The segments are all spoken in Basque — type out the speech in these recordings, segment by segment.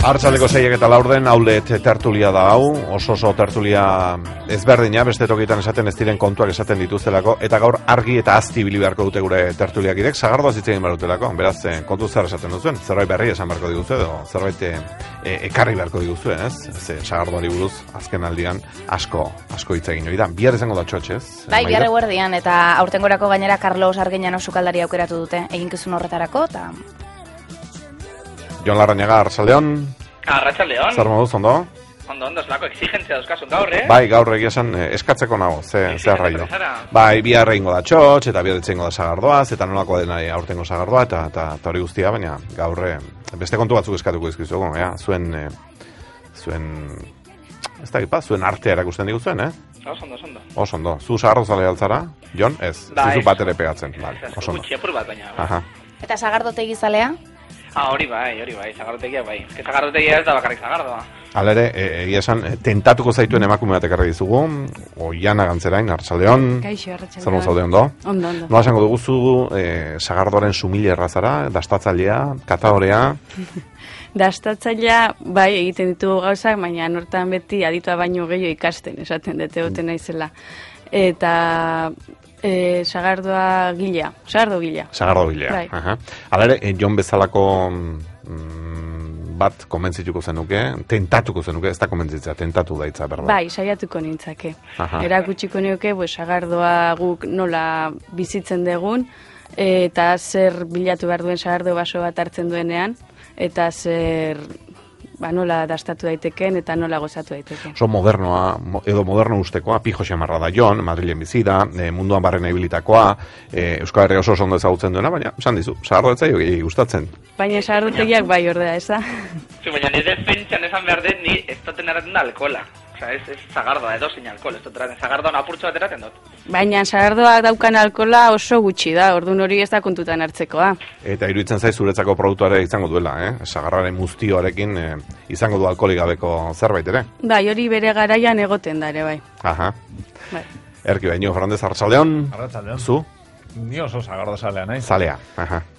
Arratsaldeko 6:04 aulet tertulia da hau, oso tertulia ezberdina, beste tokietan esaten ez diren kontuak esaten dituztelako, eta gaur argi eta azti ibili beharko dute gure tertuliakidek, sagardoaz hitz egin behar dutelako, beraz, kontu zer esaten duzuen, zerbait berri esan beharko diguzue, edo zerbait ekarri beharko diguzue, ez? Sagardoari buruz, azken aldian, asko hitz egin hori da. Bihar izango da txotxez. Bai, bihar eguerdian, eta aurtengorako gainera Carlos Arguiñano sukaldari aukeratu dute, eginkizun horretarako, eta... Jon Larrañaga, Arratsaldeon. Arratsaldeon. Zer moduz, ondo? Ondo, zelako exigentzia dauzkasun gaur, Bai, gaur egia esan eskatzeko nago, ze arraio. Bai, bihar egingo da txotx, eta bihar etxengo da sagardoaz, eta nolako dena aurtengo sagardoa, eta hori guztia, baina gaur beste kontu batzuk eskatuko dizkizugu, zuen ez da gipa, zuen artea erakusten diguzuen, Oso ondo. Zu sagardozale altzara, Jon? Ez, zuzu bat ere pegatzen. Oso ondo. Gutxi apur bat, baina. Eta sagardotegi zalea? Hori bai, zagardotegia bai. Ez que zagardotegia ez da bakarrik zagardoa. Hala ere, egia esan, tentatuko zaituen emakume bat ekarri dizugu, Oiana Gantzerain, Arratsaldeon. Kaixo, Arratsaldeon. Zer zaude ondo? Ondo. Nola esango duguzu, sagardoren sumile errazara, dastatzailea, katadorea? Dastatzailea, bai, egiten ditugu gauzak, baina nortan beti aditua baino gehiago ikasten, esaten dute goten naizela. Eta... sagardo gilea. Bai. Hala ere, Jon bezalako bat konbentzituko zenuke, tentatuko zenuke, ez da konbentzitzea, tentatu daitza, berda? Bai, saiatuko nintzake. Erakutsiko nioke, sagardoa guk nola bizitzen dugun, eta zer bilatu behar duen sagardo baso bat hartzen duenean, eta zer... nola dastatu daiteken eta nola gozatu daiteken. So modernoa, edo moderno ustekoa, pijo xamarra da Jon, Madrilen bizi da, munduan barrena ibilitakoa, Euskal Herria oso ondo ezagutzen duena, baina, esan dizu, sagardo ez zaio gustatzen. Baina sagardotegiak bai ordea, ez da? Baina nire defentsan esan behar dut, ni ez duten erraten da alkola. Osa, ez zagardoa, edo zein alkohol, ez dut eraten, zagardoan apurtxo bat eraten dut. Baina sagardoak daukan alkohola oso gutxi da, orduan hori ez da kontutan hartzekoa. Eta iruditzen zaiz zuretzako produktuare izango duela, sagarraren muztioarekin izango du alkoholik gabeko zerbait ere? Bai, hori bere garaian egoten da ere, bai. Bai. Erki Baino, Fernandez, Arratsaldeon. Arratsaldeon. Zu? Ni oso sagardo zalea naiz. Zalea,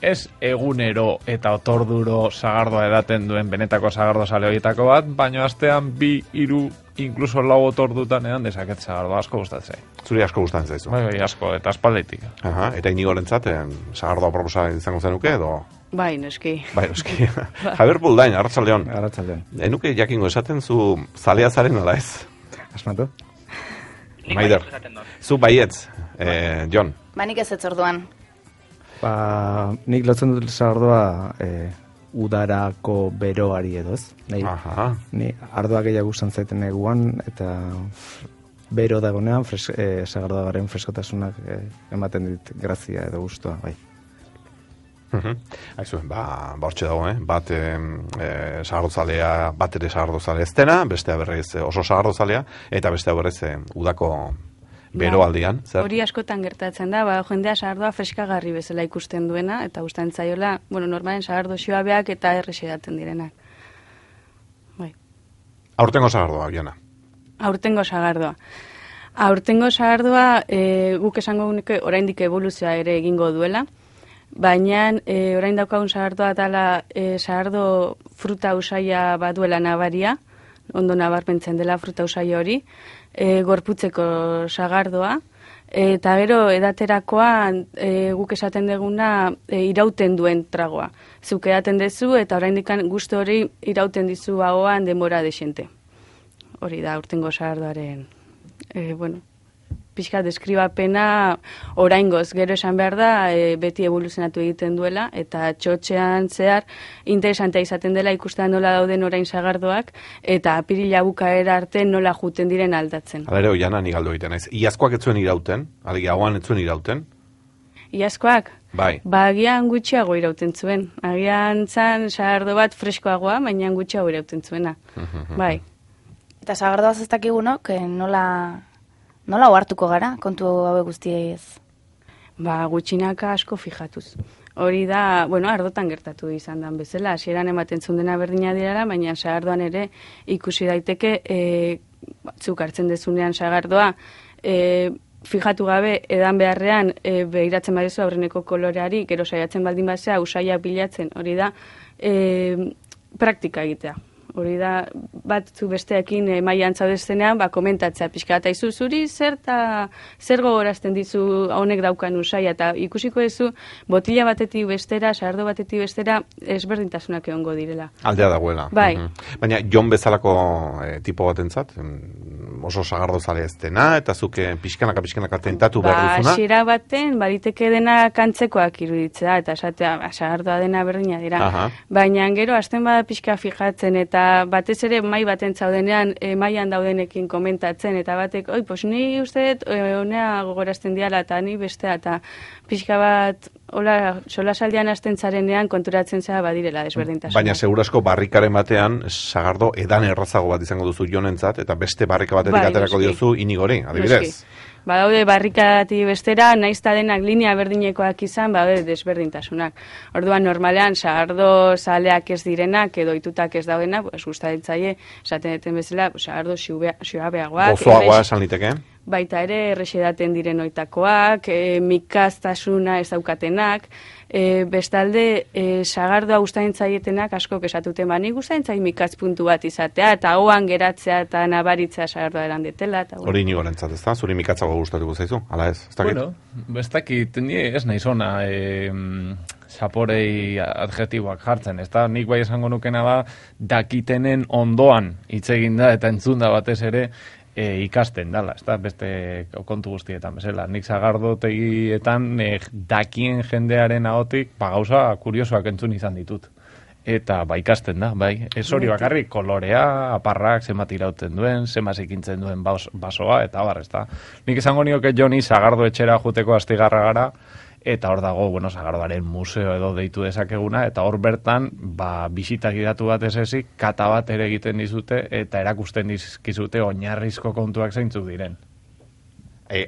Ez egunero eta otorduro sagardoa edaten duen benetako sagardo zale horietako bat, baina astean 2, 3, inkluso 4 otordutan edan dezaket sagardoa asko gustatzen. Zuri asko gustatzen zaizu. Bai, asko, eta aspalditik. Eta Inigorentzat, sagardoa proposa izango zenuke, edo? Bai, noski. Javier Buldain, Arratsaldeon. Arratsaldeon. Enuke jakingo esaten zu zalea zaren ala ez? Asmatu? Maider, zu baietz, Jon. Nik ez orduan. Nik lotzen dut sagardoa udarako beroari edoz. Ni ardoa gehiago gustan zaiten eguan, eta bero dagonean sagardoa garen freskotasunak ematen dit grazia edo gustoa, bai. Aizuen, hortxe dago, bat sagardozalea, bat ere sagardozalea ez dena, bestea berrez oso sagardozalea, eta bestea berrez udako beroaldian. Hori askotan gertatzen da, jendea sagardoa freskagarri bezala ikusten duena, eta gustatzen zaiola, normalen sagardo xoabeak eta erresedaten direnak. Bai. Aurtengo sagardoa, Oiana. Aurtengo sagardoa, guk esango nuke oraindik evoluzioa ere egingo duela, baina orain daukagun sagardoa dela sagardo fruta usaia baduela nabaria, ondo nabarmentzen dela fruta usaia hori, gorputzeko sagardoa, eta gero edaterakoan guk esaten deguna irauten duen tragoa. Zuk edaten dezu eta oraindik gustu hori irauten dizu ahoan denbora desente. Hori da aurtengo sagardoaren, pixka deskribapena oraingoz, gero esan behar da beti evoluzionatu egiten duela, eta txotxean zehar interesantea izaten dela ikusten nola dauden orain sagardoak, eta apirila bukaera arte nola juten diren aldatzen. Hala ere, Oiana, nik galdu egiten ez. Iazkoak ez zuen irauten, alegia hauan ez zuen irauten? Iazkoak? Bai. Agian gutxiago irauten zuen. Agian zan sagardo bat freskoagoa, baina gutxiago irauten zuena. Bai. Eta sagardoaz ez dakigunok, nola ohartuko gara, kontu hauek guztiez? Gutxinaka asko fijatuz. Hori da, ardotan gertatu izan dan bezala, hasieran ematen zundena berdina dirara, baina sagardoan ere ikusi daiteke, zuk hartzen dezunean sagardoa, fijatu gabe edan beharrean behiratzen badezu aurreneko koloreari, gero saiatzen baldin bazea usaiak bilatzen, hori da praktika egitea. hori da, batzu besteekin mailan zaudestenean, komentatzea pixka, eta izu zuri zer gogorazten dizu honek daukan usaia, eta ikusiko ezu, botila batetik bestera, sagardo batetik bestera, ezberdintasunak egongo direla. Aldea dagoela. Bai. Baina, Jon bezalako tipo batentzat, oso sagardo zale ez dena, eta zuke pixkanaka tentatu behar duzuna? Xera baten, bariteke dena kantzekoak iruditzea, eta esatea, sagardoa dena berdina dira. Baina gero, hasten bada pixka fijatzen, eta batez ere mai baten zaudenean, mailan daudenekin komentatzen, eta batek, pues ni uste honea gogorazten diala, eta ni bestea, eta pixka bat, hola, solasaldian hasten zarenean konturatzen zera badirela desberdintasuna. Baina segurasko barrikaren batean sagardo edan errazago bat izango duzu Jonentzat, eta beste barrika batetik aterako diozu Inigori, adibidez. Badaude barrikati bestera, naizta denak linea berdinekoak izan, badaude desberdintasunak. Orduan, normalean, sagardo zaleak ez direnak, edo itutak ez daudena, gustatzen esaten deten bezala, sagardo xuabeagoak. Gozoagoa esan liteke? Baita ere, erresedaten diren oitakoak, mikaztasuna ez daukatenak, bestalde, sagardoa gustatzen zaietenak asko kesatute, nik gustatzen zait mikaz puntu bat izatea, eta hoan geratzea eta nabaritzea sagardoa eran detela. Hori Inigorentzat, ez da? Zuri mikatzago gustatuko zaizu? Ala ez? Bueno, ez dakit, ez nahi zona zaporei adjetiboak jartzen, ez da? Nik bai esango nukena da, dakitenen ondoan hitz egin da, eta entzun da batez ere, ikasten dala, ez da, beste kontu guztietan, bezala. Nik sagardotegietan dakien jendearen ahotik, gauza kuriosoak entzun izan ditut. Eta ikasten da, bai. Ez hori bakarrik, kolorea, aparrak, zenbat irauten duen, zenbat ekintzen duen basoa, eta bar, ez da. Nik esango nioke Joni sagardo etxera juteko astigarra gara, eta hor dago, sagardoaren museo edo deitu dezakeguna, eta hor bertan, bisitak idatu bat ezik, kata bat ere egiten dizute, eta erakusten dizkizute oinarrizko kontuak zeintzuk diren.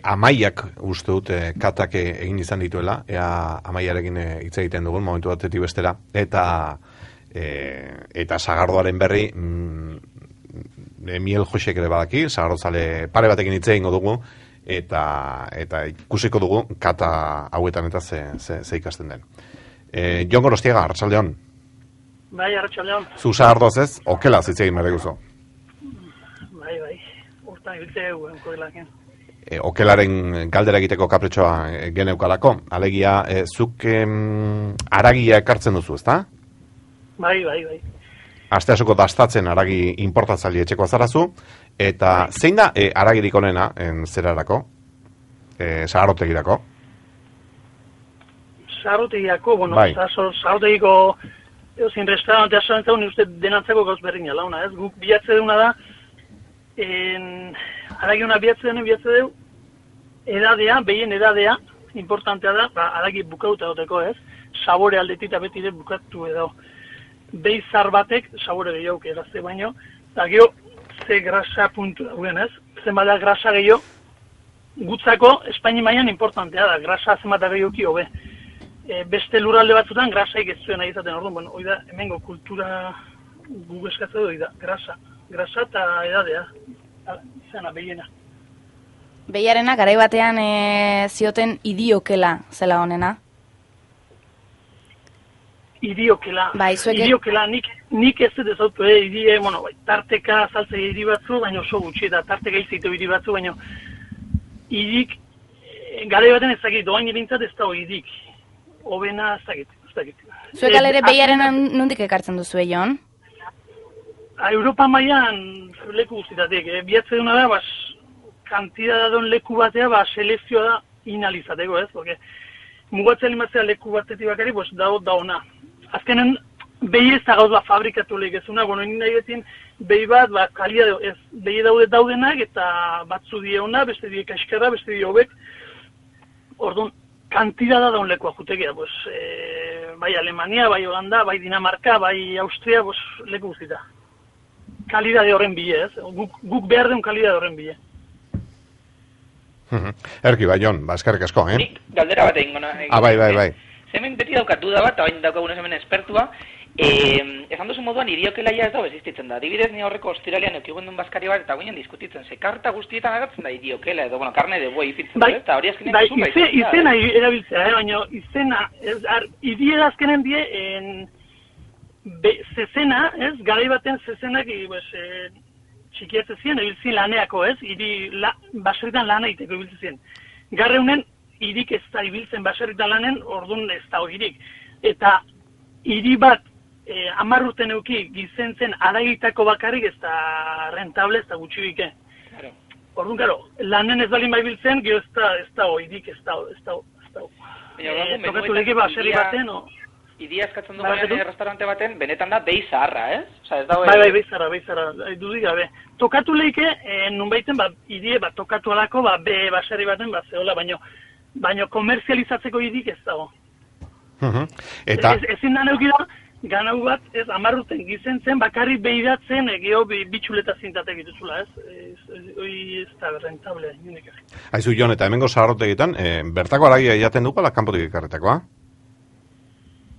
Amaiak uste dute katak egin izan dituela, Amaiarekin hitz egiten dugun, momentu batetik bestera, eta sagardoaren berri, Miel Josek ere badaki, sagardozale pare batekin hitz egingo dugu, eta ikusiko dugu kata hauetan eta ze ikasten den. Jon Gorostiaga, arratsaldeon. Bai, arratsaldeon. Zu sagardoaz ez, okela hitz egin behar duzu. Bai, urtan ibiltze enkoelaken. Okelaren galdera egiteko kapritxoa geneukalako, alegia, zuk aragia ekartzen duzu, ezta? Bai. Asteasuko dastatzen aragi importatzaile etxeko azarazu, eta zein da aragirik onena zerarako? Sagardotegirako? Sagardotegirako, sagardotegiko zin restaurantea zantzau, uste denantzeko gauz berdina launa, ez? Guk bilatze duna da, aragi hona bilatze du, edadea, behien edadea, importantea da, aragi bukauta duteko, ez? Sabore aldetita beti de bukatu edo. Beizar batek, sabore gehiago erazte baino, eta geho, ze grasa puntu dauen, ez? Zenbat da grasa gehiago, gutzako, Espaini mailan importantea da, grasa zenbat da gehiagoki hobe. Beste lurralde batzutan, grasaik ez zuen nahi izaten, orduan, hori da, hemengo kultura gu eskatzen hori da, grasa eta edadea, izana, behiena. Behiarena, garai batean zioten idiokela zela honena? Idiokela, nik ez dut ezautu, tarteka saltze hiri batzu, baina oso gutxi, eta tarteka izitu hiri batzu, baina idik, gara baten ez dakit, doain irintzat ez dago idik, obena ez dakit. Zuek alere behiaren nondik ekartzen duzu, Jon? Europa mailan leku guztitatik, bihatze duna da, kantidad dadon leku batea, selekzioa da inalizateko, ez, porque mugatzen limatzea leku batetik bakari, da ona. Azkenen, behi ez da gauz fabrikatu lehigezuna, nahi betin, behi bat, behi daudenak, eta batzu die ona, beste die kaskarra, beste die hobek. Orduan, kantidada daun lekua jutekea, bai Alemania, bai Holanda, bai Dinamarka, bai Austria, leku guztita. Kalidade horren bile, ez? Guk behar den kalidade horren bile. Erki, bai, Jon, eskerrik asko, Nik galdera bat egin gona. Bai. Hemen beti daukat duda bat, hain daukagunez hemen espertua, esan duzu moduan idiokela ez dago existitzen da. Adibidez, ni horreko ostiralean eukiguen duen baskari bat, eta guinen diskutitzen, ze karta guztietan agertzen da idiokela, edo, karne de boi izitzen da, eta hori azkenean duzu bai. Izena erabiltzea, baina izena, idie azkenen die, zezena, ez, garai baten zezenak, txikiatzen ziren, ebiltzien laneako, ez, baserritan lana iteko ebiltzen ziren. Garreunen, irik ez da ibiltzen baserritan lanen, orduan ez da hogirik. Eta hiri bat, 10 urte neuki gizentzen aragitako bakarrik ez da rentable, ez da gutxibike. Orduan, karo, lanen ez balin baibiltzen, gero ez da hogirik, ez da. Tokatu leke baserri baten, Idia eskatzen du garen restaurante baten, benetan da behi zaharra, ez? Bai, behi zaharra, dudik gabe. Tokatu leike, nunbaiten, idie, tokatu alako, baserri baten, zehola, baino komerzializatzeko idik ez dago. Eta... Ezin da neukida, ganau bat, ez, 10 urten gizentzen, bakarrik behidatzen, geho bitxuleta zintatek dituzula, ez? Hoi ez da rentable, nindek. Aizu, Jon, eta hemengo zaharrotegitan, bertako aragia jaten du pala kanpotik ekarretakoa?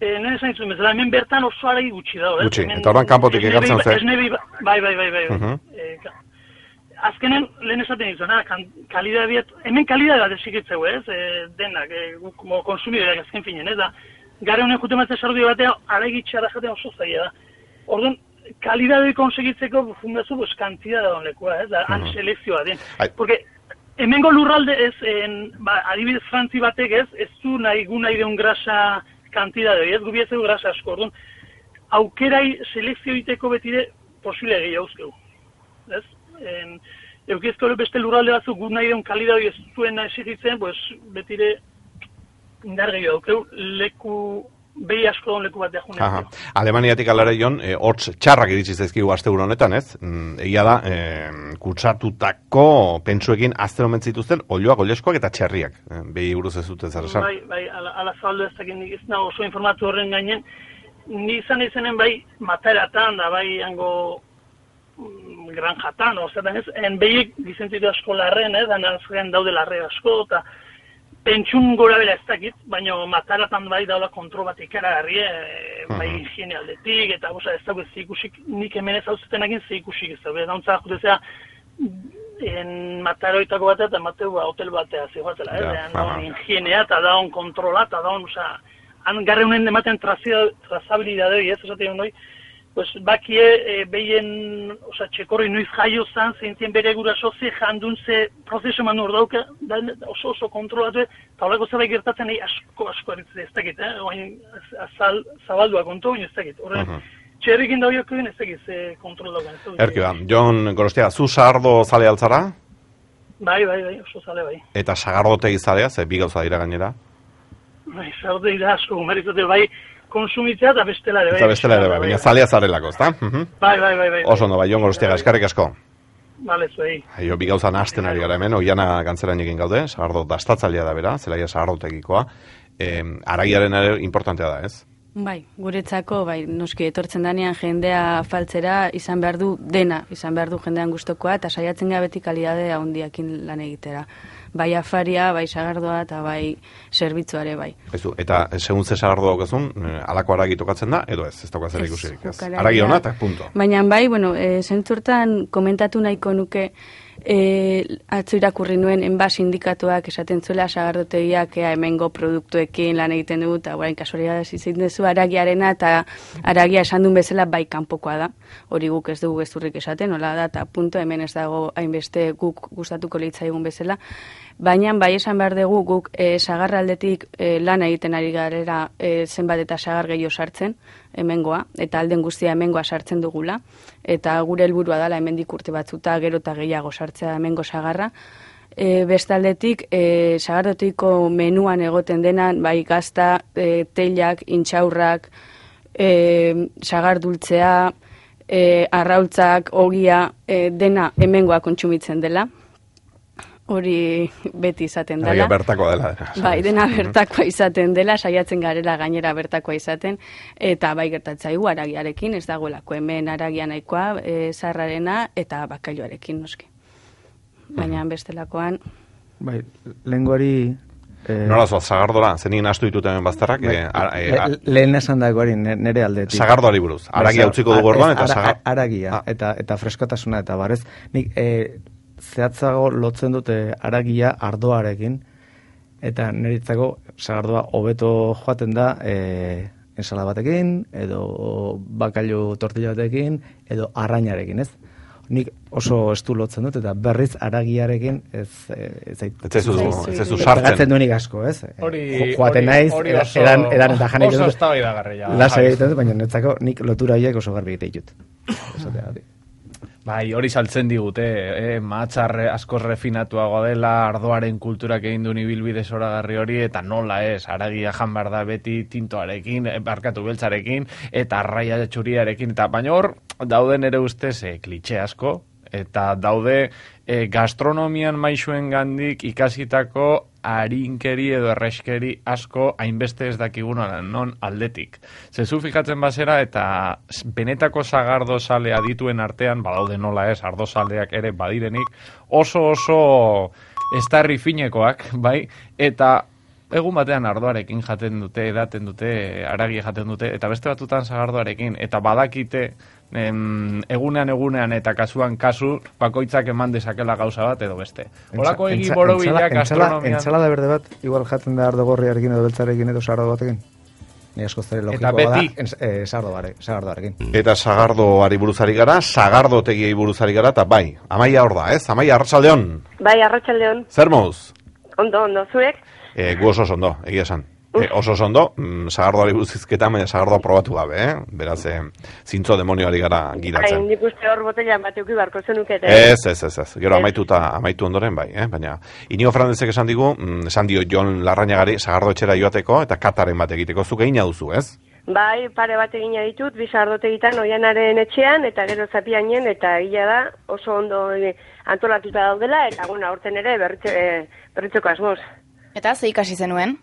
Nire zain zuen bezala, hemen bertan oso aragi gutxi dago, ez? Gutxi, eta horren kanpotik ekartzen zen. Bai. Azkenen, lehen esaten izan, hemen kalidade bat esikitzeu, ez? Denak, konsumidoreak azken finen, ez da? Gare honen jute matzea sardi batea, aragi txarra jaten oso zaila da. Orduan, kalidade konsegitzeko fundazu, kantidad da honlekoa, ez? Han selekzioa den. Porque, hemengo lurralde ez, adibidez frantzi batek ez du nahi deun grasa kantidade, ez gubiatzeko grasa asko, orduan, aukerai selekzio iteko betire posible gehiago uzkeu. Ez? Eukiezko beste lurralde batzuk gu nahi deun kalidade ez zuena esigitzen, betire indar gehiago aukeu, behi asko don leku bat deajunen. Alemaniatik alare, Jon, hortz txarrak iritsi zaizkigu asteburu honetan, ez? Egia da, kutsatutako pentsuekin azten omen zituzten, olioak, olieskoak eta txerriak. Behi buruz ez dute zer esan. Bai, ala zabaldu ez dakit nik ez nago oso informatu horren gainen. Ni izan izenen bai materatan, da bai hango granjatan, ozetan ez, behiek gizentitu asko larren, dan azken daude larre asko, eta pentsun gora bela ez dakit, baina mataratan bai daula kontrol bat ikaragarri, bai higiene aldetik, eta ez dago ez ikusik, nik hemen ez hauzetan egin ze ikusik ez dago. Dauntza jutezea, mataroitako batea eta mateu hotel batea zegoatzela, higienea eta daun kontrola, eta daun, han garre honen ematen trazabilidadei, ez esaten hori, bakie behien, txekorri nuiz jaio zan, zeintzien bere guraso ze jandun ze prozesu eman urdauka, oso kontrolatu, eta horreko zabait gertatzen asko eritzen ez dakit, zabaldua kontu, ez dakit. Txerrikin daudiok egin ez dakit ze kontrol daukan. Erkiba, Jon Gorostia, zu sagardo zale altzara? Bai, oso zale bai. Eta sagardotegi zalea, ze bi gauza dira gainera? Bai, sagardotegi da asko, meritote bai, konsumitzea eta bestela ere bai. Eta bestela ere bai, baina zalea zarelako, ezta? Bai. Oso ondo, bai, Jon Gorostiaga, eskarrik asko. Bale, zuei. Aio, bi gauza nahasten ari gara hemen, oiana gantzerain egin gaude, sagardo dastatzailea da bera, zelaia sagardotegikoa. Aragiaren ere importantea da, ez? Bai, guretzako, noski etortzen danean jendea faltzera izan behar du dena, izan behar du jendean gustokoa, eta saiatzen gara beti kalidadea handiakin lan egitera. Bai afaria, bai sagardoa eta bai zerbitzuare bai. Eta segun ze sagardo daukezun, alako aragi tokatzen da, edo ez dauka zer ikusirik, ez? Aragi hona eta punto. Baina bai, zentzurtan komentatu nahiko nuke, atzo irakurri nuen enba sindikatuak esaten zuela sagardotegiak hemengo produktuekin lan egiten dugu, eta guain kasualia izin dezu aragiarena, eta aragia esan duen bezala bai kanpokoa da. Hori guk ez dugu gezurrik esaten, nola da, eta punto hemen ez dago hainbeste guk gustatuko litzaigun bezala. Baina bai esan behar dugu guk sagarraldetik lan egiten ari garera zenbat eta sagar gehiago sartzen hemengoa, eta alden guztia hemengoa sartzen dugula, eta gure helburua dela hemendik urte batzuta gero eta gehiago sartzea hemengo sagarra. Bestaldetik, sagardotiko menuan egoten denan, bai gazta, teilak, intxaurrak, sagardultzea, arraultzak, ogia, dena hemengoa kontsumitzen dela. Hori beti izaten dela. Bertakoa dela. Bai, dena bertakoa izaten dela, saiatzen garela gainera bertakoa izaten, eta bai gertatzaigu aragiarekin, ez dagoelako hemen aragia nahikoa, zarrarena eta bakailoarekin noski. Baina bestelakoan... Bai, lehengoari... Nola zoaz, sagardora, zenik nastu ditut hemen bazterrak? Lehen esan dagoari nire aldetik. Sagardoari buruz, aragia utziko dugu orduan, eta aragia, eta freskotasuna, eta barez, nik zehatzago lotzen dute aragia ardoarekin, eta niretzako sagardoa hobeto joaten da ensala batekin, edo bakailu tortilla batekin, edo arrainarekin, ez? Nik oso estu lotzen dut, eta berriz aragiarekin ez zu sartzen. Pegatzen duenik asko, ez? Joaten naiz, edan eta janik dut. Oso eztabaidagarria. Lasa egiten dut, baina netzako nik lotura horiek oso garbi egite ditut. Bai, hori saltzen digute, mahatxar askoz refinatuagoa dela, ardoaren kulturak egin duen ibilbide zoragarri hori, eta nola ez, aragia jan behar da beti tintoarekin, barkatu beltzarekin, eta arraia txuriarekin, eta baina hor, dauden ere ustez klitxe asko, eta daude gastronomian maixuen gandik ikasitako harinkeri edo erreskeri asko hainbeste ez dakiguna non aldetik. Zezu fikatzen bazera eta benetako sagardo sale adituen artean, badaude nola ez, ardo saleak ere badirenik, oso estarri finekoak, bai, eta egun batean ardoarekin jaten dute, edaten dute, aragia jaten dute, eta beste batutan sagardoarekin, eta badakite egunean eta kasuan kasu bakoitzak eman dezakela gauza bat edo beste. Horako egi borobilak gastronomian... Entsalada berde bat, igual jaten da ardo gorriarekin edo beltzarekin edo sagardo batekin? Ni asko zere logikoa da, sagardoarekin. Eta sagardoari buruzari gara, sagardotegiei buruzari gara, eta bai, Amaia hor da, ez? Amaia, arratsaldeon. Bai, arratsaldeon. Zer moz? Ondo, zuek? Gu oso ondo, egia esan. Oso ondo, sagardoari buruzizketan, baina sagardoa probatu gabe, Beraz, zintzo demonioari gara gidatzen. Hain, nik uste hor botellan bat euki barko zenukete. Ez. Gero amaitu ondoren, bai, baina Inigo Fernandezek esan dio Jon Larrañagari sagardo etxera joateko eta kataren bat egiteko, zuk egina duzu, ez? Bai, pare bat egina ditut, bi sagardotegitan Oianaren etxean, eta gero Zapiainen, eta gila da, oso ondo antolatuta daudela, eta aurten ere berritzeko asmoz. Eta ze ikasi zenuen?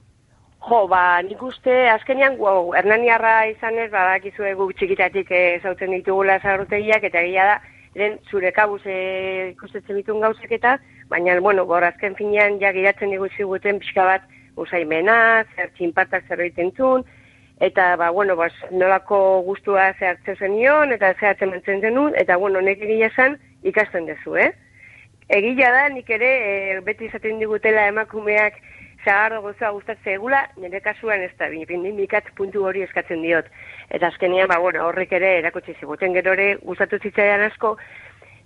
Nik uste, azkenean, Hernaniarra izanez, badakizue guk txikitatik zautzen ditugula zagardotegiak, eta gila da, zure kabuz ikustetzen dituen gauzak eta, baina, azken finean, ja giratzen diguziguten pixka bat usaimena, zer txinpartak zerbait entzun, eta, nolako gustua zehartzen zenion, eta zehartzen mentzen zenun, eta, nek egia esan ikasten dezu, Egia da, nik ere, beti izaten digutela emakumeak sagardo gozoa gustatzen egula, nire kasuan ez da, bindikat puntu hori eskatzen diot. Eta azkenean, horrek ere erakutsi ziguten gero ere gustatu zitzaidan asko,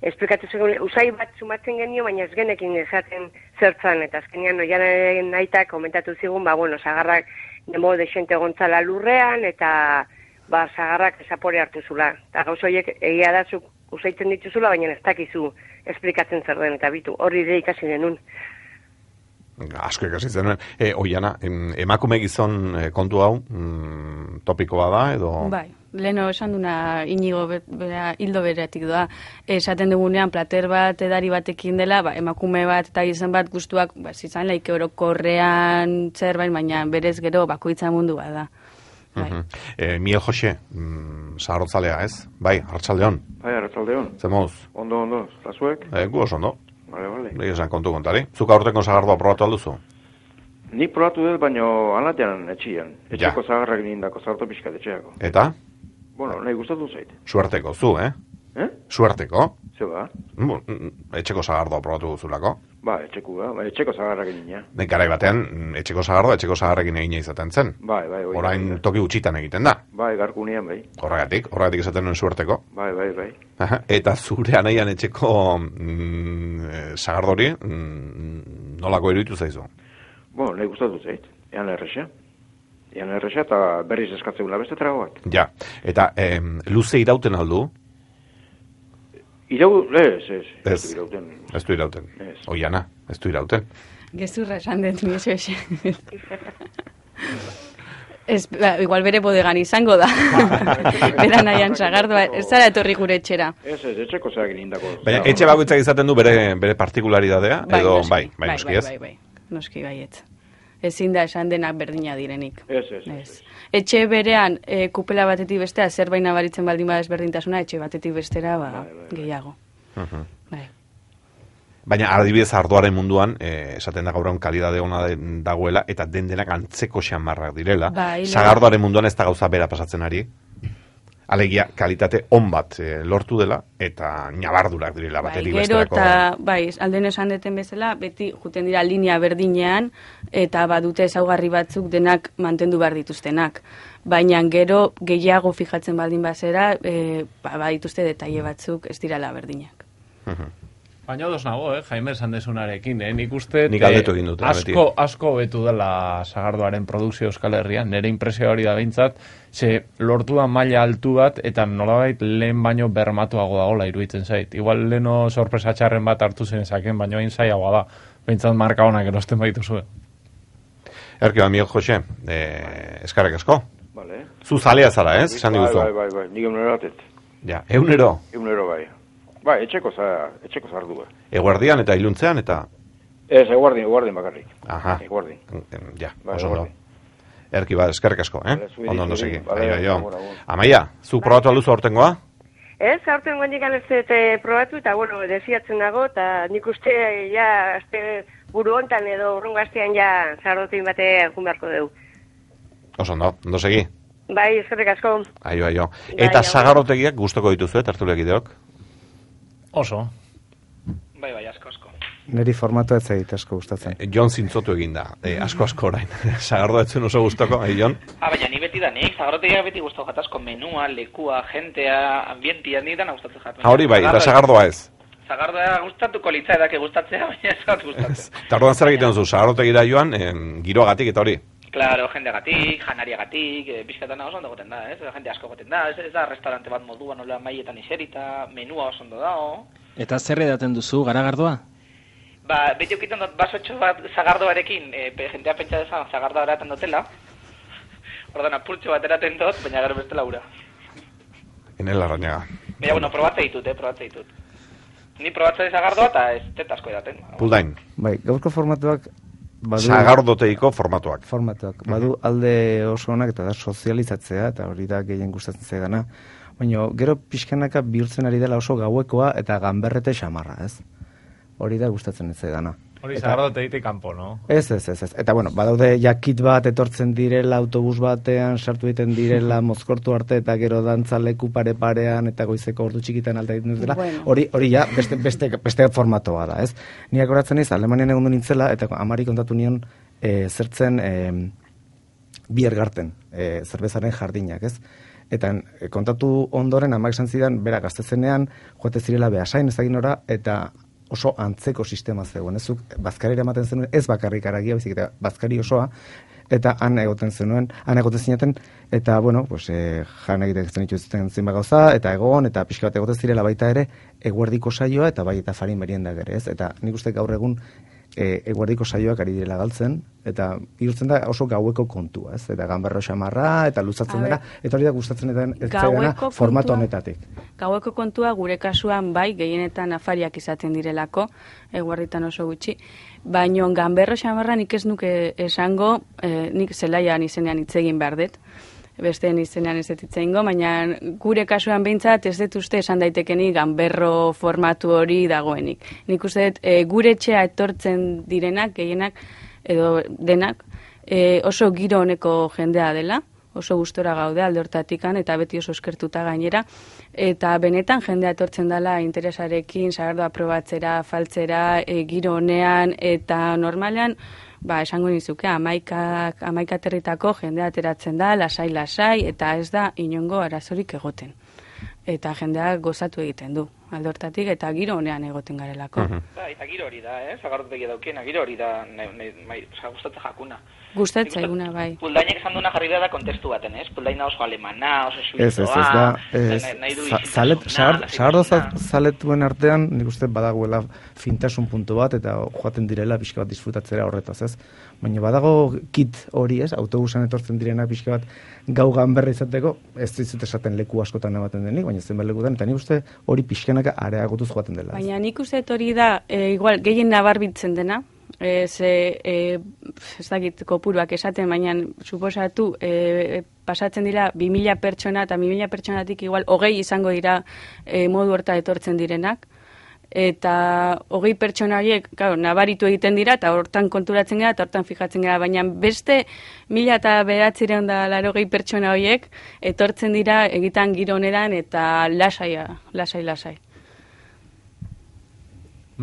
esplikatu zegoen, usai bat sumatzen genio, baina ez genekin esaten zertzan, eta azkenean Oianaren aitak komentatu zigun, sagarrak nemo desente gontzala lurrean, eta sagarrak esapore hartu zula. Eta gauz horiek egia da zuk usaitzen dituzula, baina ez dakizu esplikatzen zer den, eta bitu, hori ere ikasi denun. Asko ikasi zenuen. Oiana, emakume gizon kontu hau, topikoa da, edo... Bai, leheno esan duna Inigo hildo beretik doa. Esaten dugunean, plater bat, edari batekin dela, emakume bat eta gizon bat guztuak, izan laike orokorrean zerbait, baina berez gero bakoitza mundua da. Miel Jose, sagardotzalea, ez? Bai, arratsaldeon. Bai, arratsaldeon. Zemoz? Ondo, eta zuek? Gu oso ondo. Vale. Esan kontu kontari. Zuk aurteko sagardoa probatu alduzu? Nik probatu dut, baina anatean etxian. Etxeko zagarrak nindako, zarto pixkat etxeako. Eta? Nahi gustatu zait. Suerteko, zu, Suerteko? Zer ba? Etxeko sagardoa probatu duzulako? Etxeko zagarrak nina. Garai batean, etxeko sagarrekin egina izaten zen. Bai. Orain toki gutxitan egiten da. Bai, garkunean, bai. Horregatik esaten nuen suerteko. Bai. Eta zure anaian etxeko sagardori, nolako iruditu zaizu? Nahi gustatu zait. Ean erresa eta berriz eskatzegula beste tragoak. Ja, eta luze irauten aldu? Ez du irauten. Oiana, ez du irauten. Gezurra esan dut, mi eso. Igual bere bodegan izango da. Bera nahian sagardoa, ez zara etorri gure etxera. Ez, etxeko zeak nindako. Baina etxe bakoitzak izaten du bere partikularidadea, edo bai, noski ez? Bai, noski baietz. Ezin da esan denak berdina direnik. Ez. Etxe berean, kupela batetik bestea, zerbait nabaritzen baldin bada ezberdintasuna, etxe batetik bestera, gehiago. Bai. Baina adibidez ardoaren munduan, esaten da gaur egun kalidade ona dagoela, eta denak antzeko xamarrak direla. Sagardoaren munduan ez da gauza bera pasatzen ari. Alegia, kalitate on bat lortu dela, eta nabardurak direla batetik besterako. Bai, alden esan deten bezala, beti juten dira linea berdinean, eta badute ezaugarri batzuk denak mantendu behar dituztenak. Baina gero gehiago fijatzen baldin bazera, badituzte detaile batzuk ez dirala berdinak. Baina odos nago, Jaime esan desunarekin, nik uste nik aldetu egin dute, asko betu dela Sagardoaren produkzio Euskal Herrian, nire impresio hori da behintzat, ze lortu da maila altu bat, eta nolabait lehen baino bermatuago dagoela iruditzen zait. Igual leheno sorpresa txarren bat hartu zenezaken, baino hain zaiagoa da, behintzat marka honak erosten baituzue. Erki, Miguel Jose, eskarek asko. Vale. Zu zalea zara, esan diguzu? Bai, nik egunero batet. Ja, egunero? Egunero, bai. Bai, etxeko zardu. Eguardian eta iluntzean eta? Ez, eguardin bakarrik. Aha. Eguardin. Ja, oso ondo. Erki, eskerrik asko, Ondo segi. Amaia, zu probatu alduzu aurtengoa? Ez, aurtengoa nikan ez probatu, eta bueno, desiatzen dago, eta nik uste, ja, buru hontan edo urrungo astean ja Sagardotegin batean jun beharko dugu. Oso ondo segi. Bai, eskerrik asko. Aio. Eta Sagardotegiak gustoko dituzu, tertuliakideok? Oso. Bai, asko. Neri formatu ez egit asko gustatzen. Jon zintzotu egin da, asko orain. Sagardo etzen oso gustoko, Jon? Baina ni beti da nik, Sagardotegiak beti gustau jatazko menua, lekua, jentea, ambientia, nik dana gustatzen jaten. Hori bai, eta Sagardoa ez? Sagardoa gustatuko litza edake gustatzea, baina ez bat gustatzen. Eta orduan zer egiten duzu, Sagardotegira joan, giroagatik eta hori? Claro, jendeagatik, janariagatik, bizkatana oso ondo goten da, jende asko goten da, ez da restaurante bat moduan, nola maietan iserita, menua oso ondo dago. Eta zer edaten duzu, garagardoa? Beti okiten dut basotxo bat Sagardoarekin, jentea pentsa dezan Sagardoa eraten dutela, ordan apurtxo bat eraten dut, baina gero beste laura. Enel Larrañaga. Baina, bueno, probatze ditut. Ni probatze Sagardoa eta ez tetasko edaten. Puldain. Bai, gaurko formatuak Sagardoteiko formatuak. Badu alde oso onak eta da sozializatzea, eta hori da gehien gustatzen zaidana. Baina gero pixkanaka bihurtzen ari dela oso gauekoa eta ganberrete xamarra, ez? Hori da gustatzen ez zaidana. Hori Sagardotegitik kanpo, no? Ez. Eta bueno, badaude jakit bat etortzen direla autobus batean, sartu egiten direla mozkortu arte eta gero dantza leku pare-parean eta goizeko ordu txikitan alta egiten dutela. Hori ja beste formatoa da, ez? Niak horatzen ez, Alemanian egon du nintzela eta amari kontatu nion zertzen Biergarten, zerbezaren jardinak, ez? Eta kontatu ondoren amak esan zidan, bera gaztezenean, joate zirela Beasain ezaginora, eta oso antzeko sistema zegoen, ez bazkarira ematen zenuen, ez bakarrik aragia, baizik eta bazkari osoa, eta han egoten zineten, eta, bueno, pues, jan egiten dituzten zinba gauza, eta egon, eta pixka bat egoten zirela baita ere, eguerdiko saioa, eta bai eta farin meriendak ere, ez? Eta nik uste gaur egun eguerdiko saioak ari direla galtzen, eta bihurtzen da oso gaueko kontua, ez? Eta ganberro xamarra, eta luzatzen dela, eta hori da gustatzen dena formato honetatik. Gaueko kontua gure kasuan bai, gehienetan afariak izaten direlako, eguerditan oso gutxi, baina ganberro xamarra nik ez nuke esango, nik zelaian izenean hitz egin behar dut, besteen izenean ez dut ingo, baina gure kasuan behintzat ez dut uste esan daitekenik ganberro formatu hori dagoenik. Nik uste dut gure etxea etortzen direnak, gehienak, edo denak, oso giro honeko jendea dela, oso gustora gaude alde hortatikan, eta beti oso eskertuta gainera, eta benetan jendea etortzen dela interesarekin, Sagardoa probatzera, faltzera, giro honean, eta normalean, esango nizuke, amaika aterritako jendea ateratzen da, lasai, eta ez da inongo arazorik egoten. Eta jendea gozatu egiten du, alde hortatik, eta giro honean egoten garelako. Eta giro hori da, Sagardotegia daukena, giro hori da, gustatzen jakuna. Gustatzen eguna, bai. Puldainek esan duena jarri da kontestu baten, Puldaina oso alemana, oso suizoa, nahi du izitasuna. Sagardo zaletuen artean, nik uste badagoela fintasun puntu bat, eta joaten direla pixka bat disfrutatzera horretaz, ez? Baina badago kit hori, ez? Autobusan etortzen direna pixka bat gau ganberra izateko, ez dizut esaten leku askotan ematen denik, baina zenbat lekutan, eta nik uste hori pixkanaka areagotuz joaten dela. Baina nik uste hori da, igual, gehien nabarbitzen dena, ez dakit kopuruak esaten, baina suposatu pasatzen dira 2000 pertsona, eta 2000 pertsonatik igual 20 izango dira modu horta etortzen direnak, eta 20 pertsona horiek, nabaritu egiten dira, eta hortan konturatzen gara, eta hortan fijatzen gara, baina beste 1980 pertsona horiek etortzen dira egitan giro honeran, eta lasai.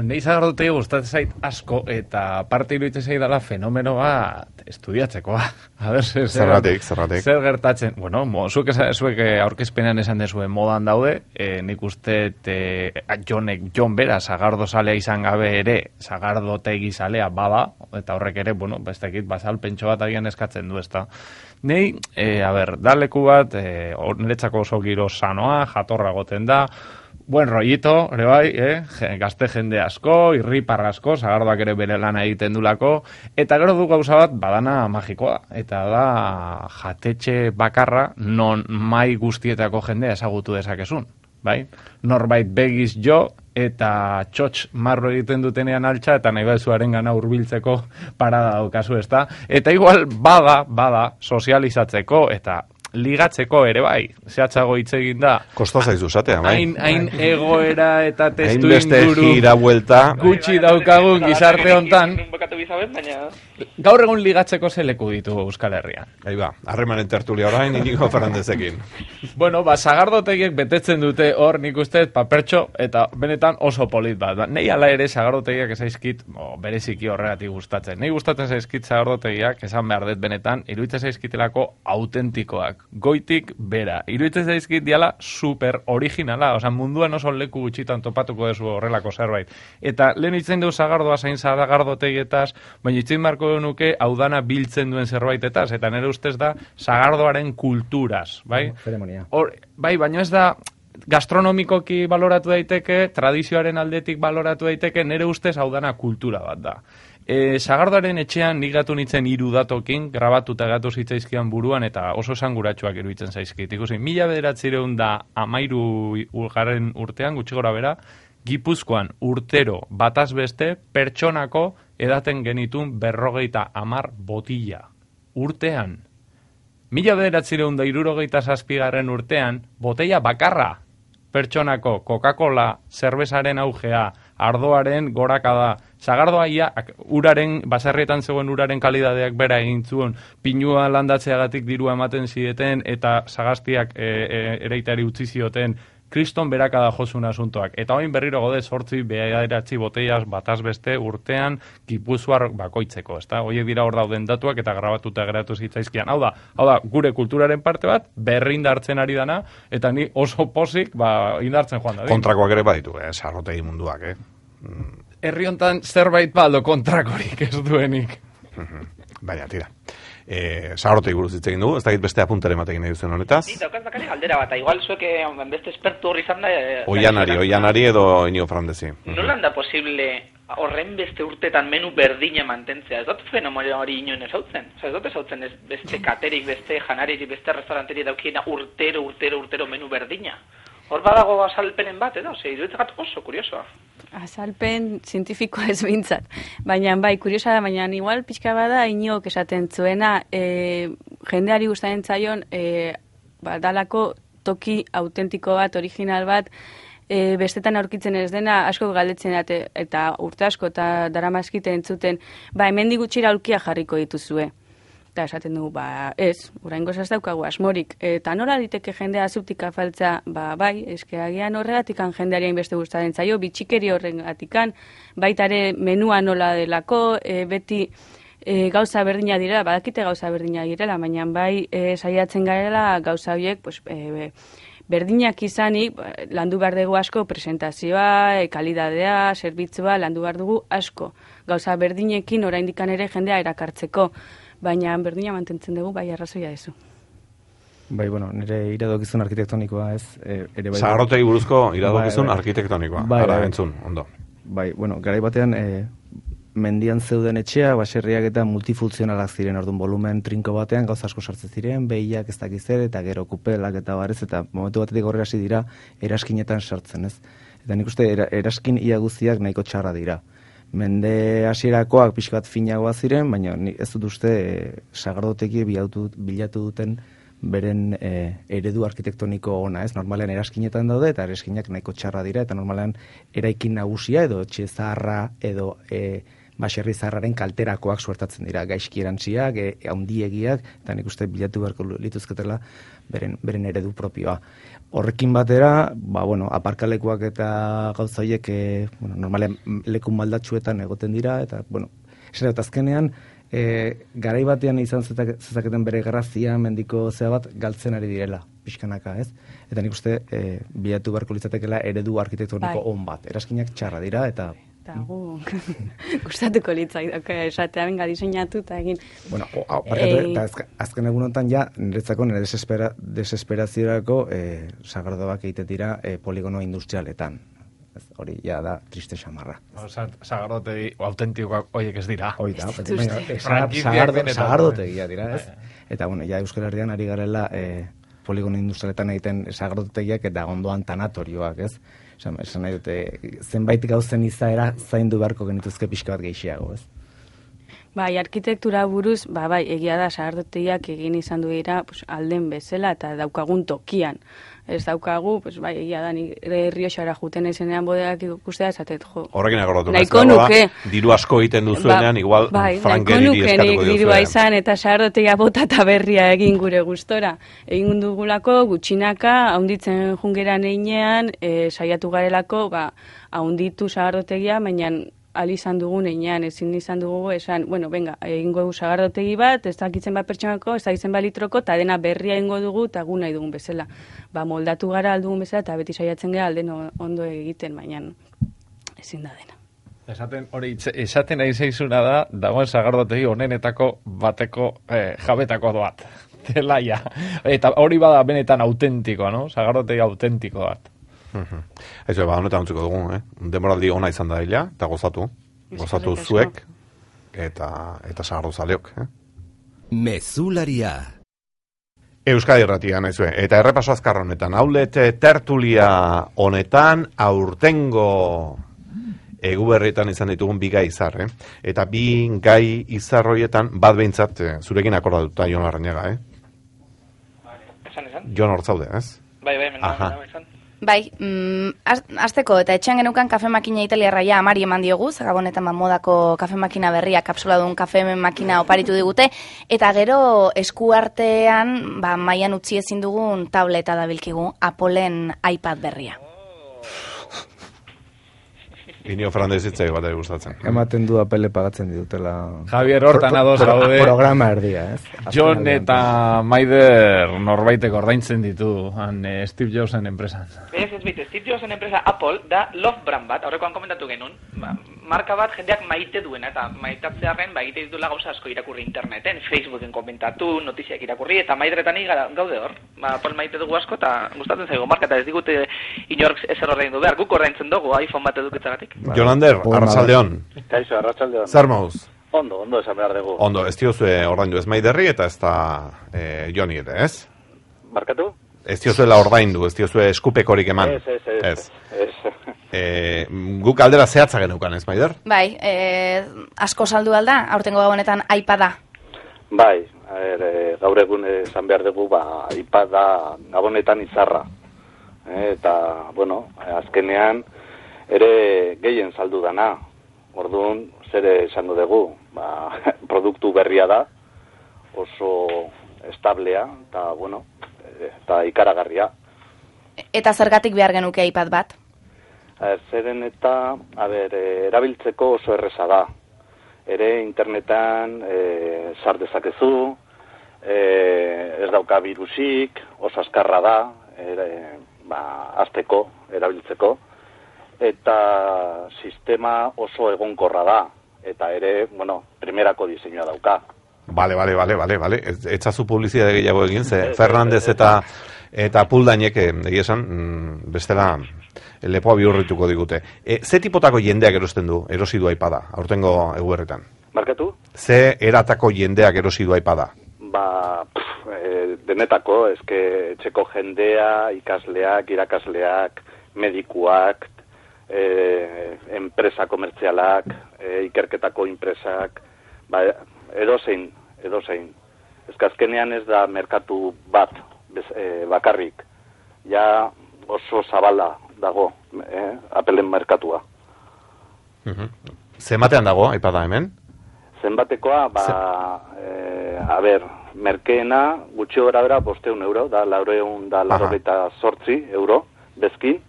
Nei Sagardotegi gustatzen zait asko, eta parte iruditzen zait dela fenomeno bat estudiatzekoa. A ber, zergatik. Zer gertatzen? Bueno, zuek aurkezpenean esan dezuen modan daude, nik uste Jon bera Sagardo zalea izan gabe ere, Sagardotegi zalea bada, eta horrek ere, bueno, bestekit, bazalpentxo bat agian eskatzen du, ezta. Nei, da leku bat, niretzako oso giro sanoa, jatorra goten da, buen rollito, ere bai, gazte jende asko, irripar asko, Sagardoak ere bere lana egiten dulako, eta gero du gauza bat badana magikoa, eta da jatetxe bakarra non mai guztietako jendea ezagutu dezakezun, bai? Norbait begiz jo, eta txotx marro egiten dutenean altxa, eta nahi bezuaren gana hurbiltzeko parada daukazu, ezta? Eta igual bada sozializatzeko, eta ligatzeko ere bai, zehatzago hitz egin da. Kosta zaizu zatea, bai? Hain egoera eta testu inguru gutxi daukagun gizarte hontan. Gaur egun ligatzeko zeleku ditu Euskal Herrian. Harremanen tertulia orain, Inigo Fernandezekin. Bueno, Sagardotegiek betetzen dute hor, nik uste papertxo, eta benetan oso polit bat. Nei ala ere Sagardotegiak ezaizkit, bereziki horregatik gustatzen. Nei gustatzen zaizkit Sagardotegiak, esan behar dut benetan, iruditzen zaizkitelako autentikoak. Goitik bera. Iruditzen zaizkit diala super originala, oza, munduan oso leku gutxitan topatuko dezu horrelako zerbait. Eta lehen itzen du Sagardoa zain Sagardotegietaz, baina itzen marko nuke audana biltzen duen zerbaitetaz, eta nire ustez da Sagardoaren kulturaz, bai? Zeremonia. Bai, baina ez da gastronomikoki baloratu daiteke, tradizioaren aldetik baloratu daiteke, nire ustez audana kultura bat da. Sagardoaren etxean nik gatu nintzen 3 datokin, grabatuta gatu zitzaizkian buruan, eta oso esanguratsuak iruditzen zaizkit. Ikusi, 1913 urtean, gutxi gora bera, Gipuzkoan urtero bataz beste pertsonako edaten genitun 50 botila. Urtean. 1967 urtean, botella bakarra pertsonako Coca-Cola, zerbezaren augea, ardoaren gorakada, Sagardoa uraren, baserrietan zegoen uraren kalidadeak bera egin zuen, pinua landatzeagatik dirua ematen zideten, eta sagaztiak ereitari utzi zioten, kriston berakada josun asuntoak. Eta oin berriro gode 8 bederatzi botellaz bataz beste urtean Gipuzkoar bakoitzeko, ezta? Horiek dira hor dauden datuak eta grabatuta geratu zitzaizkian. Hau da, gure kulturaren parte bat, berrindartzen ari dana, eta ni oso pozik, indartzen joan da. Kontrakoak ere baditu, Sagardotegi munduak, Herri hontan zerbait baldo kontrakorik ez duenik. Baina, tira. Sagardotegi buruz hitz egin dugu, ez dakit beste apuntare ematekin nahi duzen honetaz. Ni daukaz bakari galdera bat, igual zuek beste espertu horri izan da... Oianari edo Inigo Fernandezi. Nolan da posible horren beste urtetan menu berdina mantentzea? Ez dut fenomeno hori inoen ezautzen? Ez dut ezautzen beste katerik, beste janarik, beste restauranteri daukiena urtero menu berdina? Hor badago azalpenen bat, edo? Iruditzat oso kuriosoa. Azalpen zientifikoa ez bintzat. Baina, bai, kuriosa da, baina igual pixka bada Inigok esaten zuena, jendeari gustatzen zaion, dalako toki autentiko bat, original bat, bestetan aurkitzen ez dena, asko galdetzen eta urte asko eta daramazkite entzuten, hemendik gutxira aulkia jarriko dituzue. Eta esaten dugu, ez, oraingoz ez daukagu asmorik. Eta nola diteke jendea zuptik afaltza, bai, agian horregatikan jendeari beste gustatzen zaio, bitxikeri horregatikan, baitare menua nola delako, beti gauza berdina direla, badakite gauza berdina direla, baina bai saiatzen garela gauza horiek, berdinak izanik, landu behar dugu asko presentazioa, kalidadea, zerbitzua, landu behar dugu asko. Gauza berdinekin oraindikan ere jendea erakartzeko. Baina berdina mantentzen dugu, bai arrazoia dezu. Bai, nire iradokizun arkitektonikoa ez. Sagardotegi buruzko iradokizun arkitektonikoa. Ara, entzun, ondo. Bai, garai batean, mendian zeuden etxea, baserriak eta multifuntzionalak ziren, orduan volumen trinko batean, gauza asko sartzen ziren, behiak ez dakizer, eta gero kupelak eta barez, eta momentu batetik horrela hasi dira, eraskinetan sartzen, ez. Eta nik uste, eraskin ia guztiak nahiko txarra dira. Mende hasierakoak pixka bat finagoa ziren, baina ez dut uste Sagardotegi bilatu duten beren eredu arkitektoniko ona, ez? Normalean eraskinetan daude, eta eraskinak nahiko txarra dira, eta normalean eraikin nagusia edo etxe zaharra edo baserri zaharraren kalterakoak suertatzen dira, gaizki erantziak, handiegiak, eta nik uste bilatu beharko lituzketela beren eredu propioa. Horrekin batera, aparkalekuak eta gauza horiek, normalean leku maldatsuetan egoten dira, eta, esan dut azkenean, garai batean izan zezaketen bere grazia mendiko zea bat galtzen ari direla, pixkanaka, ez? Eta nik uste bilatu beharko litzatekela eredu arkitektoniko on bat. Eraskinak txarra dira, eta gustatuko litzaidake esatea benga diseinatu eta egin. Eta azken egunotan niretzako nire desesperaziorako sagardoak egiten dira poligono industrialetan. Hori da triste xamarra. Sagardotegi autentikoak horiek ez dira. Hoi da, sagardotegia dira, ez? Eta, Euskal Herrian ari garela poligono industrialetan egiten sagardotegiak eta ondoan tanatorioak, ez? Esan nahi dute, zenbait gauzen izaera zaindu beharko genituzke pixka bat gehiago, ez? Bai, arkitektura buruz, egia da sagardotegiak egin izan du dira alden bezala eta daukagun tokian. Ez daukagu, egia da, Errioxara juten ezenean bodeak ikustea, esatet, jo. Horrekin agorratu, nahiko nuke. Diru asko egiten duzuenean, igual frankeriri eskatuko diozuean. Dirua izan eta sagardotegia bota eta berria egin gure gustora. Egin dugulako, gutxinaka, haunditzen jungeran einean, saiatu garelako, haunditu sagardotegia, baina izan dugun einean, ezin izan dugu esan, egingo dugu sagardotegi bat, ez dakitzen bat pertsonako, ez dakitzen bat litroko, eta dena berria egingo dugu, eta gu nahi dugun bezala. Moldatu gara aldugun bezala, eta beti saiatzen gara alden ondo egiten, baina ezin da dena. Esaten nahi zaizuna da, dagoen sagardotegi honenetako bateko jabetako bat. Delaia. Eta hori bada benetan autentikoa, no? Sagardotegi autentiko bat. Eso, honetan utziko dugu, demoraldi ona izan da dela, eta gozatu zuek, eta sagardo zaleok. Mezularia. Euskadi Irratia, naizue, eta errepaso azkar honetan, outlet tertulia honetan, aurtengo eguberrietan izan ditugun bi gai izar, eta bi gai izar horietan, bat behintzat, zurekin akordatuta Jon Larrañaga, Esan? Jon Hortzaude, ez? Bai, esan. Bai, azteko eta etxean genukan kafe makina italiarra amari eman diogu, Gabonetan modako kafe makina berria, kapsuladun kafe makina oparitu digute, eta gero eskuartean mailan utzi ezin dugun tableta dabilkigu, Appleen iPad berria. Inio Fernandez hitzai bat gustatzen. Ematen du Apple pagatzen ditutela. Javier hortan ados gaude. Programa erdia, ez? Jon eta Maider norbaitek ordaintzen ditu Steve Jobsen enpresan. Steve Jobsen enpresa Apple da Love brand bat, aurrekoan komentatu genuen, marka bat jendeak maite duena, eta maitatzearen egite ditula gauza asko irakurri interneten, Facebooken komentatu, notiziak irakurri, eta Maideretan gaude hor. Apple maite dugu asko, eta gustatzen zaigu marka, eta ez digute inork ezer ordaindu behar, guk ordaintzen dugu iPhone bat edukitzagatik. Jolander, arratsaldeon. Kaixo, arratsaldeon. Zer mauz? Ondo esan behar dugu. Ondo, ez diozue ordaindu ez Maiderri eta ez da Joni ere, ez? Markatu? Ez diozuela ordaindu, ez diozue eskupekorik eman. Ez. Guk aldera zehatza geneukan, ez Maider? Bai, asko saldu alda, aurtengo gabonetan iPada. Bai, gaur egun esan behar dugu, iPada gabonetan izarra. Eta, azkenean, ere gehien saldu dana. Orduan, zer esango dugu, produktu berria da, oso establea, eta ikaragarria. Eta zergatik behar genuke iPad bat? Zeren eta, erabiltzeko oso erreza da. Ere internetan sar dezakezu, ez dauka virusik, oso azkarra da, hasteko, erabiltzeko, eta sistema oso egonkorra da, eta ere, primerako diseinua dauka. Vale. Etzazu publizitate gehiago egin, ze Fernandez eta Puldainek egia esan, bestela lepoa bihurrituko digute. Ze tipotako jendeak erosi du iPada, aurtengo eguberritan? Markatu? Ze eratako jendeak erosi du iPada? Denetako, etxeko jendea, ikasleak, irakasleak, medikuak, enpresa komertzialak, ikerketako enpresak, edozein. Azkenean ez da merkatu bat bakarrik. Ja oso zabala dago Appleen merkatua. Zenbatean dago, aipada hemen? Zenbatekoa, merkeena gutxi gora bera 500 euro, da 408 euro bezkin,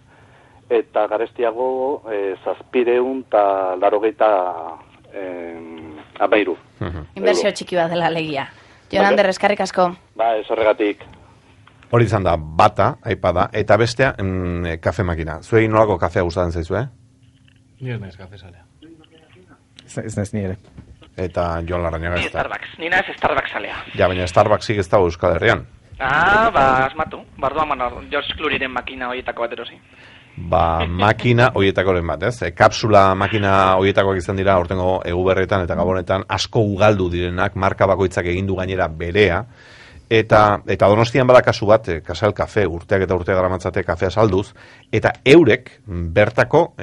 eta garestiago 783 Inbertsio txiki bat dela alegia. Jon Ander, eskerrik asko. Ez horregatik. Hori izan da, bata, aipada, eta bestea, kafe makina. Zuei nolako kafea gustatzen zaizu, Ni ez naiz kafe salea. Ez naiz nire. Eta Jon Larrañaga ez da. Starbucks, nina ez Starbucks salea. Ja, baina Starbucksik ez dago Euskal Herrian. Asmatu. Bardoan George Clooneyren makina horietako bat erosi. Makina horietakoren bat, ez? Kapsula makina horietakoak izan dira aurtengo Eguberretan eta Gabonetan asko ugaldu direnak, marka bakoitzak egindu gainera berea, eta Donostian bada kasu bat, Casal Cafe, urteak eta urteak daramatzate kafea salduz, eta eurek bertako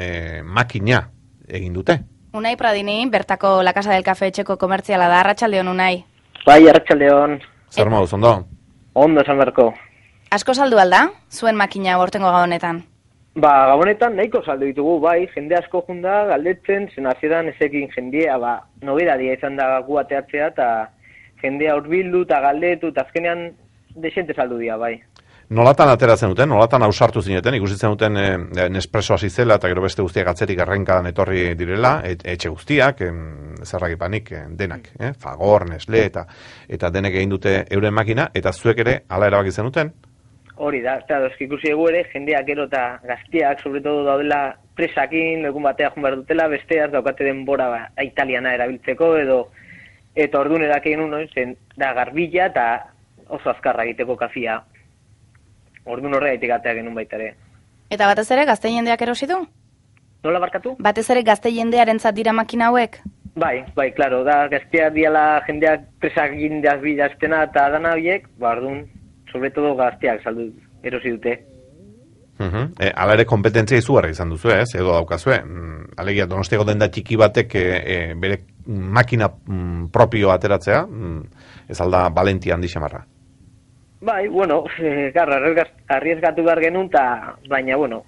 makina egin dute. Unai Pradini, bertako La Casa del Café etxeko komertziala da, arratsaldeon Unai. Bai, arratsaldeon. Zer moduz, ondo? Ondo esan beharko. Asko saldu alda, zuen makina aurtengo Gabonetan? Gabonetan nahiko saldu ditugu, bai, jende asko junda galdetzen, zen hasieran ezekin jendea, nobedadia izan da gu ateatzea, eta jendea hurbildu eta galdetu, eta azkenean desente saldu dira, bai. Nolatan ateratzen duten, nolatan ausartu zineten, ikusitzen duten Nespresso hasi zela, eta gero beste guztiak atzerik arrenkadan etorri direla, etxe guztiak, zerragipanik denak, Fagor, Nestle, eta denek egin dute euren makina, eta zuek ere ala erabaki zenuten? Hori da, eta ikusi egu ere, jendeak gero eta gaztiak, sobretodo daudela presakin, egun batea joan behar dutela, besteaz daukate denbora italiana erabiltzeko, eta orduan edakien zen da garbila eta oso azkarra egiteko kafia. Orduan horregaitik atea genuen baita ere. Eta batez ere gazte jendeak erosi du? Nola barkatu? Batez ere gazte jendearentzat dira makina hauek? Bai, klaro, da gazteak diala jendeak presakin bilaztena eta dana horiek, orduan, sobretodo gazteak saldu erosi dute. Hala ere kompetentzia izugarri izan duzu, ez? Edo daukazue. Alegia, Donostiako denda txiki batek bere makina propio ateratzea, ez alda valentia handi xamarra. Bai, bueno, arriesgatu behar genuen, baina, bueno,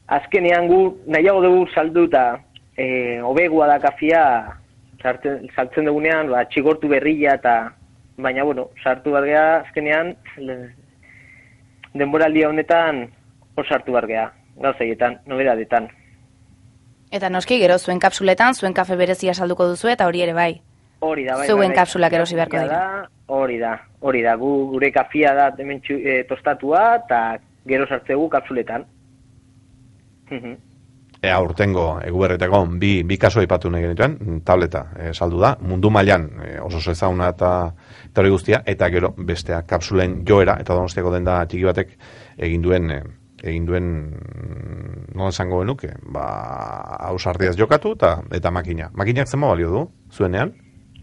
azkenean gu nahiago dugu saldu eta hobegua da kafia saltzen dugunean, txigortu berrila eta baina, bueno, sartu behar geha, azkenean, denboraldia honetan, sartu behar geha, gauzaietan, nobedadetan. Eta noski, gero, zuen kapsuletan, zuen kafe berezia salduko duzu, eta hori ere bai. Hori da, bai. Zuen kapsulak erosi beharko dira. Hori da, gure kafia da hemen tostatua, eta gero sartzegu kapsuletan. Urtengo Eguberretako bi kasu aipatu nahi genituen, tableta saldu da, mundu mailan oso ezaguna eta hori guztia, eta gero bestea kapsulen joera, eta Donostiako denda txiki batek egin duen nola esango genuke, ausardiaz jokatu eta makina. Makinak zenba balio du, zuenean?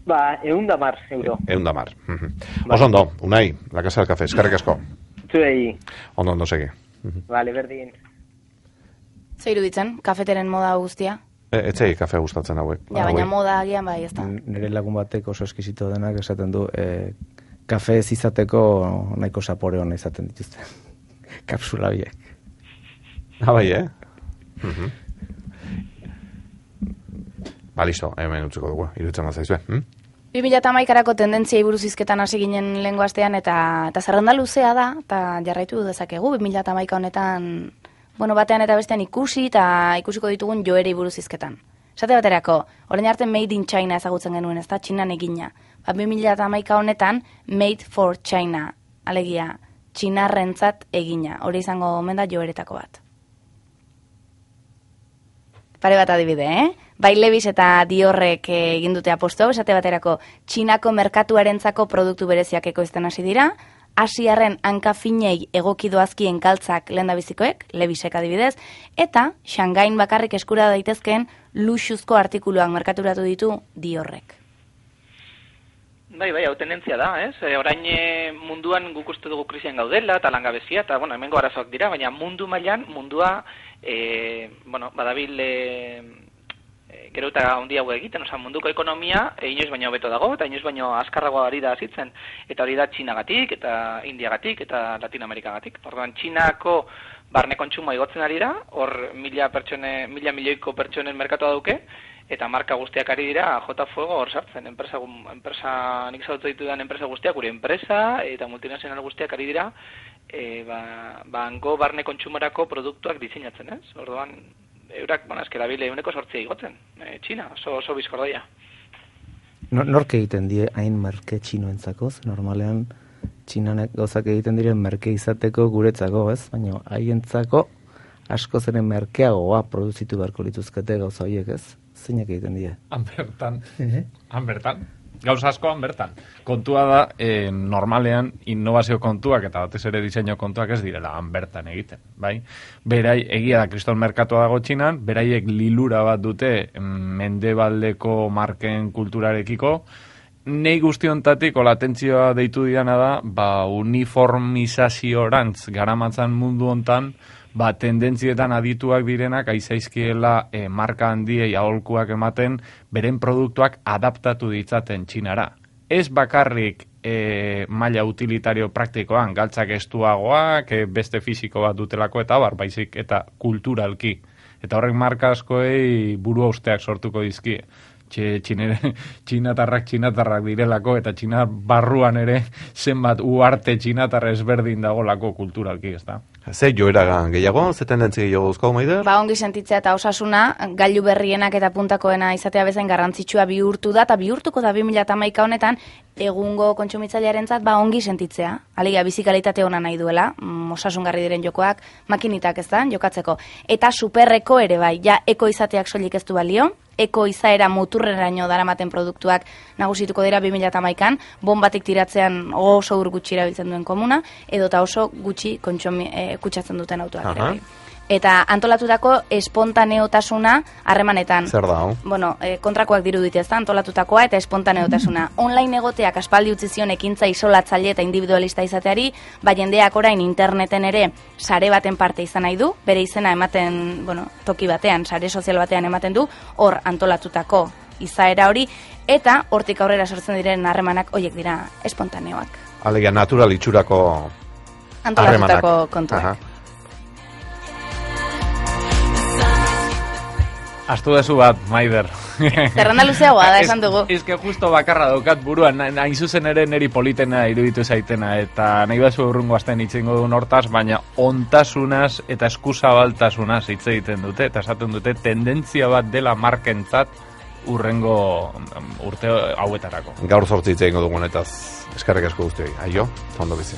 110 euro. 110. Oso ondo, Unai, La Casa del Café, eskerrik asko. Zuei. Ondo segi. Vale, berdin. Zer iruditzen, kafeteren moda guztia? Etzei kafe gustatzen hauek. Ja, baina moda agian bai, ez da. Nire lagun batek oso eskizito denak esaten du, kafe ez izateko nahiko sapore hona izaten dituzte. Kapsula biek. Bai, listo, hemen utziko dugu, iruditzen mazaizue. 2011-arako tendentziai buruz hizketan hasi ginen lehengo astean, eta zerrenda luzea da, eta jarraitu dezakegu, 2011 honetan, batean eta bestean ikusiko ditugun joerei buruz hizketan. Esate baterako, orain arte Made in China ezagutzen genuen, ez da, Txinan egina. 2011 honetan, Made for China, alegia, Txinarrentzat egina. Hori izango omen da joeretako bat. Pare bat adibide, Bai Levis eta Diorrek egin dute aposto, esate baterako Txinako merkatuarentzako produktu bereziak ekoizten hasi dira, Asiarren hankafinei egokidoazkien kaltzak lehendabizikoek, Levisek adibidez, eta Shangain bakarrik eskura daitezkeen luxuzko artikuluak merkaturatu ditu Diorrek. Bai, hau tendentzia da, ez? Orain munduan guk uste dugu krisian gaudela, eta langabezia, eta, hemengo arazoak dira, baina mundu mailan, mundua, badabil gero eta handiago egiten, munduko ekonomia inoiz baino hobeto dago, eta inoiz baino azkarragoa ari da hazitzen, eta hori da Txinagatik, eta Indiagatik, eta Latinoamerikagatik. Orduan, Txinako barne kontsumoa igotzen ari da, hor mila milioiko pertsonen merkatua duke, eta marka guztiak ari dira jota fuego hor sartzen. Enpresa nik zautu ditudan enpresa guztiak, gure enpresa eta multinazional guztiak ari dira, hango barne kontsumorako produktuak diseinatzen, ez? Orduan, eurak, eskera bile 8% igotzen, Txina, oso bizkordoia. Nork egiten die hain merke txinoentzako? Normalean, Txinanek gauzak egiten diren merke izateko guretzako, ez? Baina haientzako asko zeren merkeagoa produzitu beharko lituzkete gauza horiek, ez? Zeinak egiten die? Han bertan. Gauza asko han bertan. Kontua da, normalean, innovazio kontuak eta batez ere diseinu kontuak ez direla han bertan egiten, bai? Berai, egia da, kriston merkatua dago Txinan, beraiek lilura bat dute mendebaldeko marken kulturarekiko. Nei guztiontatik, olatentzioa deitu diana da, uniformizaziorantz garamatzan mundu hontan, tendentzietan adituak direnak aizaizkiela marka handiei aholkuak ematen beren produktuak adaptatu ditzaten Txinara. Ez bakarrik maila utilitario praktikoan, galtzak estuagoak, beste fisiko bat dutelako eta baizik eta kulturalki. Eta horrek marka askoei buru hausteak sortuko dizkie. Txinatarrak direlako eta Txina barruan ere zenbat uarte txinatarra ezberdin dagolako kulturalki, ez da? Ze joera gehiago, ze tendentzia gehiago duzko, Maider? Ongi sentitzea eta osasuna, gailu berrienak eta puntakoena izatea bezain garrantzitsua bihurtu da, eta bihurtuko da 2011 honetan, egungo kontsumitzailearentzat ongi sentitzea. Alegia, bizikalitate ona nahi duela, osasungarri diren jokoak, makinitak ez da, jokatzeko. Eta superreko ere bai, ja eko izateak soilik ez du balio, eko izaera muturreraino daramaten produktuak nagusituko dira 2011an, bombatik tiratzean oso gutxi erabiltzen duen komuna, edota oso gutxi kutsatzen duten autoak ere bai. Eta antolatutako espontaneotasuna harremanetan. Zer da, hau? Kontrakoak dirudite ez da, antolatutakoa eta espontaneotasuna. Online egoteak aspaldi utzi zion ekintza isolatzaile eta individualista izateari, jendeak orain interneten ere sare baten parte izan nahi du, bere izena ematen, toki batean, sare sozial batean ematen du, hor antolatutako izaera hori, eta hortik aurrera sortzen diren harremanak horiek dira espontaneoak. Alegia, natural itxurako antolatutako kontuak. Astu dezu bat, Maider. Zerrenda luzeagoa da, esan dugu. Ez que justo bakarra daukat buruan, hain zuzen ere neri politena iruditu zaitena, eta nahi bazu urrungo azten itxengo duen hortaz, baina ontasunaz eta eskuzabaltasunaz hitz egiten dute, eta esaten dute tendentzia bat dela markentzat urrengo urte hauetarako. Gaur 8 hitz egingo dugunetaz, eskerrik asko guztioi. Aio, ondo bizi.